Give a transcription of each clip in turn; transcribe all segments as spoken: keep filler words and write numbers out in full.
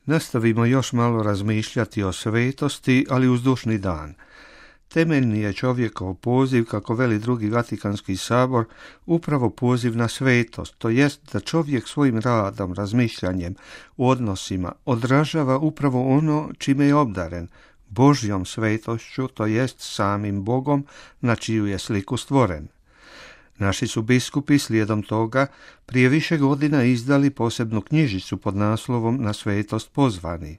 Nastavimo još malo razmišljati o svetosti, ali uz dušni dan. Temeljni je čovjekov poziv, kako veli drugi Vatikanski sabor, upravo poziv na svetost, to jest da čovjek svojim radom, razmišljanjem, odnosima odražava upravo ono čime je obdaren, Božjom svetošću, to jest samim Bogom na čiju je sliku stvoren. Naši su biskupi slijedom toga prije više godina izdali posebnu knjižicu pod naslovom Na svetost pozvani.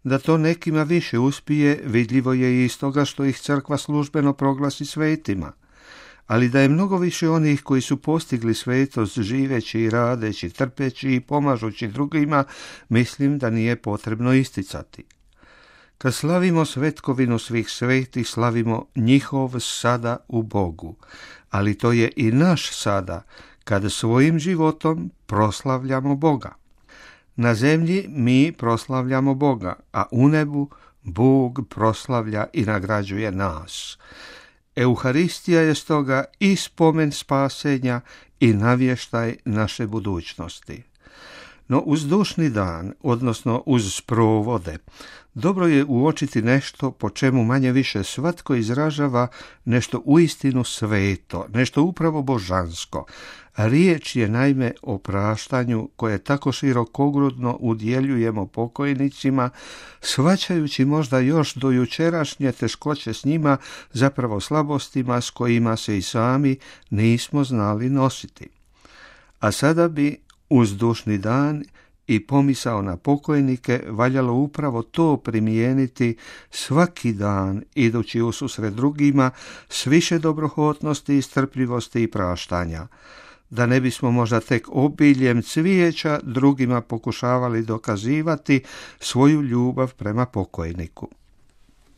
Da to nekima više uspije, vidljivo je i iz toga što ih crkva službeno proglasi svetima, ali da je mnogo više onih koji su postigli svetost živeći i radeći, trpeći i pomažući drugima, mislim da nije potrebno isticati. Kad slavimo svetkovinu svih svetih, slavimo njihov sada u Bogu, ali to je i naš sada, kad svojim životom proslavljamo Boga. Na zemlji mi proslavljamo Boga, a u nebu Bog proslavlja i nagrađuje nas. Euharistija je stoga i spomen spasenja i navještaj naše budućnosti. No uz dušni dan, odnosno uz sprovode, dobro je uočiti nešto po čemu manje više svatko izražava nešto uistinu sveto, nešto upravo božansko. Riječ je naime o praštanju koje tako širokogrudno udjeljujemo pokojnicima, shvaćajući možda još do jučerašnje teškoće s njima, zapravo slabostima s kojima se i sami nismo znali nositi. A sada bi uz dušni dan i pomisao na pokojnike valjalo upravo to primijeniti svaki dan, idući ususret drugima s više dobrohotnosti i strpljivosti i praštanja, da ne bismo možda tek obiljem cvijeća drugima pokušavali dokazivati svoju ljubav prema pokojniku.